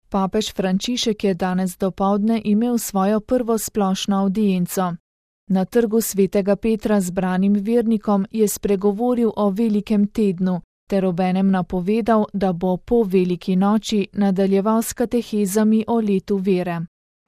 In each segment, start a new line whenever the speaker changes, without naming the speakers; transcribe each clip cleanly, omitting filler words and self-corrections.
Papež Frančišek je danes dopoldne imel svojo prvo splošno avdienco. Na trgu svetega Petra zbranim vernikom je spregovoril o velikem tednu, ter obenem napovedal, da bo po veliki noči nadaljeval s katehezami o letu vere.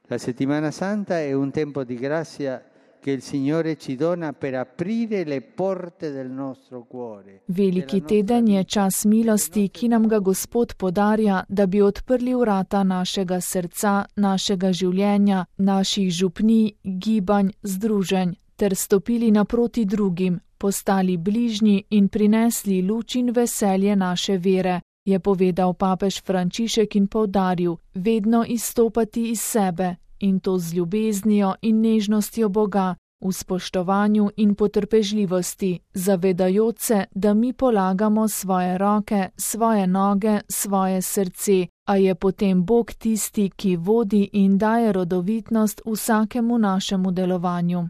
La settimana santa è un tempo di grazia che il Signore ci dona per aprire le porte del nostro cuore.
Veliki teden je čas milosti, ki nam ga Gospod podarja, da bi odprli vrata našega srca, našega življenja, naših župnij, gibanj, združenj, ter stopili naproti drugim, postali bližnji in prinesli luč in veselje naše vere, je povedal papež Frančišek in poudaril, vedno izstopati iz sebe, in to z ljubeznijo in nežnostjo Boga, v spoštovanju in potrpežljivosti, zavedajoč se, da mi polagamo svoje roke, svoje noge, svoje srce, a je potem Bog tisti, ki vodi in daje rodovitnost vsakemu našemu delovanju.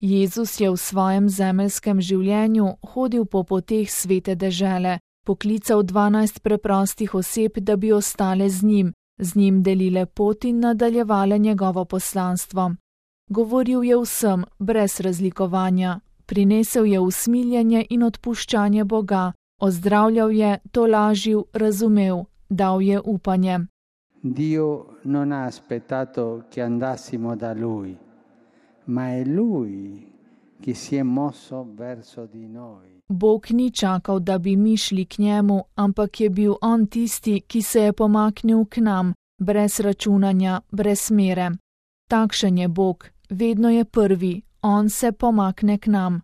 Jezus je v svojem zemeljskem življenju hodil po poteh svete dežele, poklical 12 preprostih oseb, da bi ostale z njim delile pot in nadaljevale njegovo poslanstvo. Govoril je vsem, brez razlikovanja, prinesel je usmiljenje in odpuščanje Boga, ozdravljal je, tolažil, razumel, dal je upanje.
Dio non ha aspettato che andassimo da Lui, ma è Lui che si è mosso verso di noi.
Bog ni čakal, da bi mi šli k njemu, ampak je bil on tisti, ki se je pomaknil k nam, brez računanja, brez mere. Takšen je Bog, vedno je prvi, on se pomakne k nam.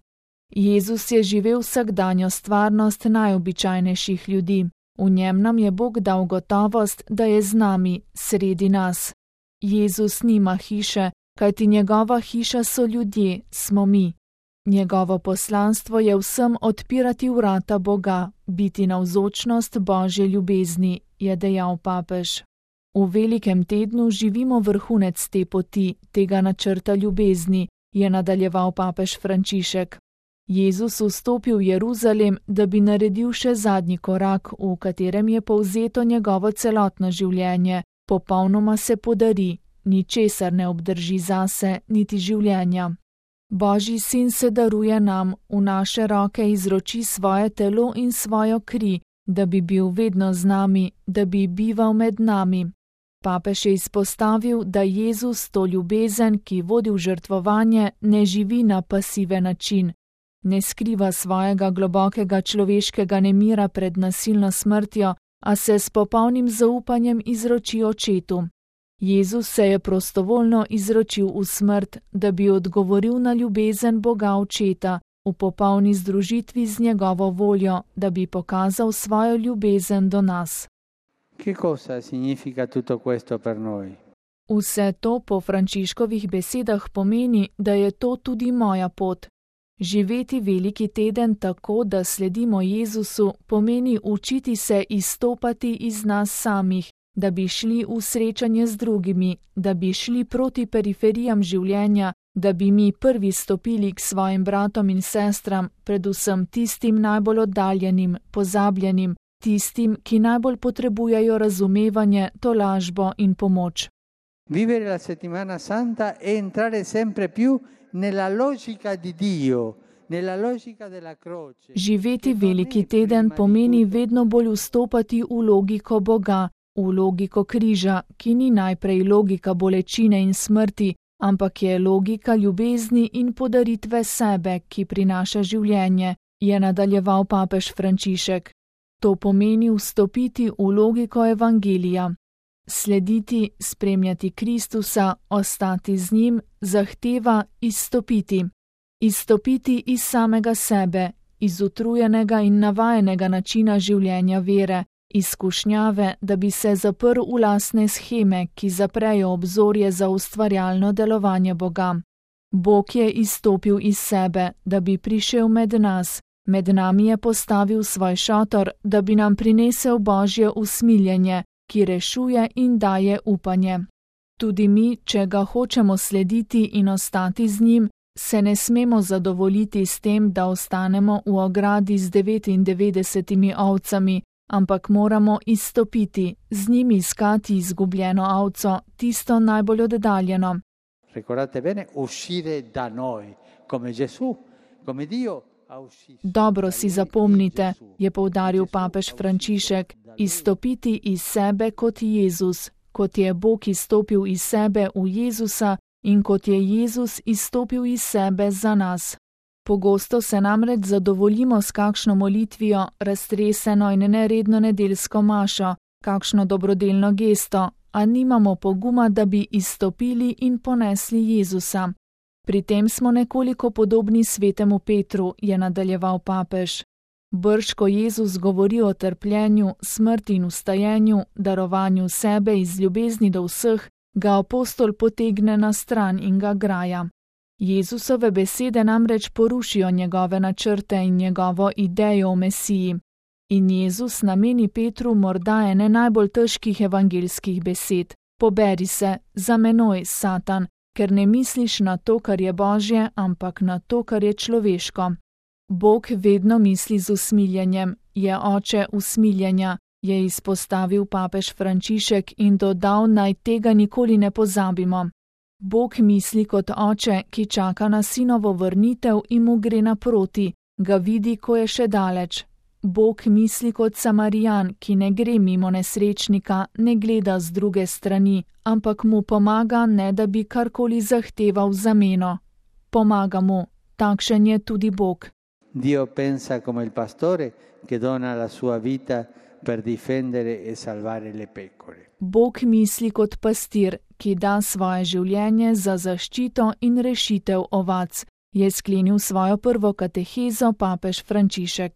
Jezus je živel vsakdanjo stvarnost najobičajnejših ljudi. V njem nam je Bog dal gotovost, da je z nami, sredi nas. Jezus nima hiše, kajti njegova hiša so ljudje, smo mi. Njegovo poslanstvo je vsem odpirati vrata Boga, biti navzočnost Božje ljubezni, je dejal papež. V velikem tednu živimo vrhunec te poti, tega načrta ljubezni, je nadaljeval papež Frančišek. Jezus vstopil v Jeruzalem, da bi naredil še zadnji korak, v katerem je povzeto njegovo celotno življenje, popolnoma se podari, ničesar ne obdrži zase, niti življenja. Božji sin se daruje nam, v naše roke izroči svoje telo in svojo kri, da bi bil vedno z nami, da bi bival med nami. Papež je izpostavil, da Jezus to ljubezen, ki vodi v žrtvovanje, ne živi na pasiven način. Ne skriva svojega globokega človeškega nemira pred nasilno smrtjo, a se s popolnim zaupanjem izroči očetu. Jezus se je prostovoljno izročil v smrt, da bi odgovoril na ljubezen Boga Očeta, v popolni združitvi z njegovo voljo, da bi pokazal svojo ljubezen do nas.
Che cosa significa tutto questo per noi?
Vse to po Frančiškovih besedah pomeni, da je to tudi moja pot. Živeti veliki teden tako, da sledimo Jezusu, pomeni učiti se izstopati iz nas samih, da bi šli v srečanje z drugimi, da bi šli proti periferijam življenja, da bi mi prvi stopili k svojim bratom in sestram, predvsem tistim najbolj oddaljenim, pozabljenim, tistim, ki najbolj potrebujejo razumevanje, tolažbo in pomoč.
Vivere la settimana santa è entrare sempre più nella logica di Dio, nella logica della croce.
Živeti veliki teden pomeni vedno bolj vstopati v logiko Boga, v logiko križa, ki ni najprej logika bolečine in smrti, ampak je logika ljubezni in podaritve sebe, ki prinaša življenje, je nadaljeval papež Frančišek. To pomeni vstopiti v logiko evangelija. Slediti, spremljati Kristusa, ostati z njim, zahteva izstopiti. Izstopiti iz samega sebe, iz utrujenega in navajenega načina življenja vere, izkušnjave, da bi se zaprl v lastne sheme, ki zaprejo obzorje za ustvarjalno delovanje Boga. Bog je izstopil iz sebe, da bi prišel med nami je postavil svoj šotor, da bi nam prinesel Božje usmiljenje, ki rešuje in daje upanje. Tudi mi, če ga hočemo slediti in ostati z njim, se ne smemo zadovoljiti s tem, da ostanemo v ogradi z 99 ovcami, ampak moramo izstopiti, z njimi iskati izgubljeno ovco, tisto najbolj oddaljeno.
Ricordate bene, uscire da noi, come Gesù, come Dio.
Dobro si zapomnite, je poudaril papež Frančišek, izstopiti iz sebe kot Jezus, kot je Bog izstopil iz sebe v Jezusa in kot je Jezus izstopil iz sebe za nas. Pogosto se namreč zadovoljimo s kakšno molitvijo, raztreseno in neredno nedeljsko mašo, kakšno dobrodelno gesto, a nimamo poguma, da bi izstopili in ponesli Jezusa. Pri tem smo nekoliko podobni svetemu Petru, je nadaljeval papež. Brž ko Jezus govori o trpljenju, smrti in vstajenju, darovanju sebe iz ljubezni do vseh, ga apostol potegne na stran in ga graja. Jezusove besede namreč porušijo njegove načrte in njegovo idejo o Mesiji. In Jezus nameni Petru morda ene najbolj težkih evangeljskih besed: poberi se, za menoj, Satan, ker ne misliš na to, kar je Božje, ampak na to, kar je človeško. Bog vedno misli z usmiljenjem, je oče usmiljenja, je izpostavil papež Frančišek in dodal, naj tega nikoli ne pozabimo. Bog misli kot oče, ki čaka na sinovo vrnitev in mu gre naproti, ga vidi, ko je še daleč. Bog misli kot Samarijan, ki ne gre mimo nesrečnika, ne gleda z druge strani, ampak mu pomaga, ne da bi karkoli zahteval zameno. Pomaga mu, takšen je tudi Bog.
Dio pensa come il pastore che dona la sua vita per difendere e salvare le pecore.
Bog misli kot pastir, ki da svoje življenje za zaščito in rešitev ovac, je sklenil svojo prvo katehezo papež Frančišek.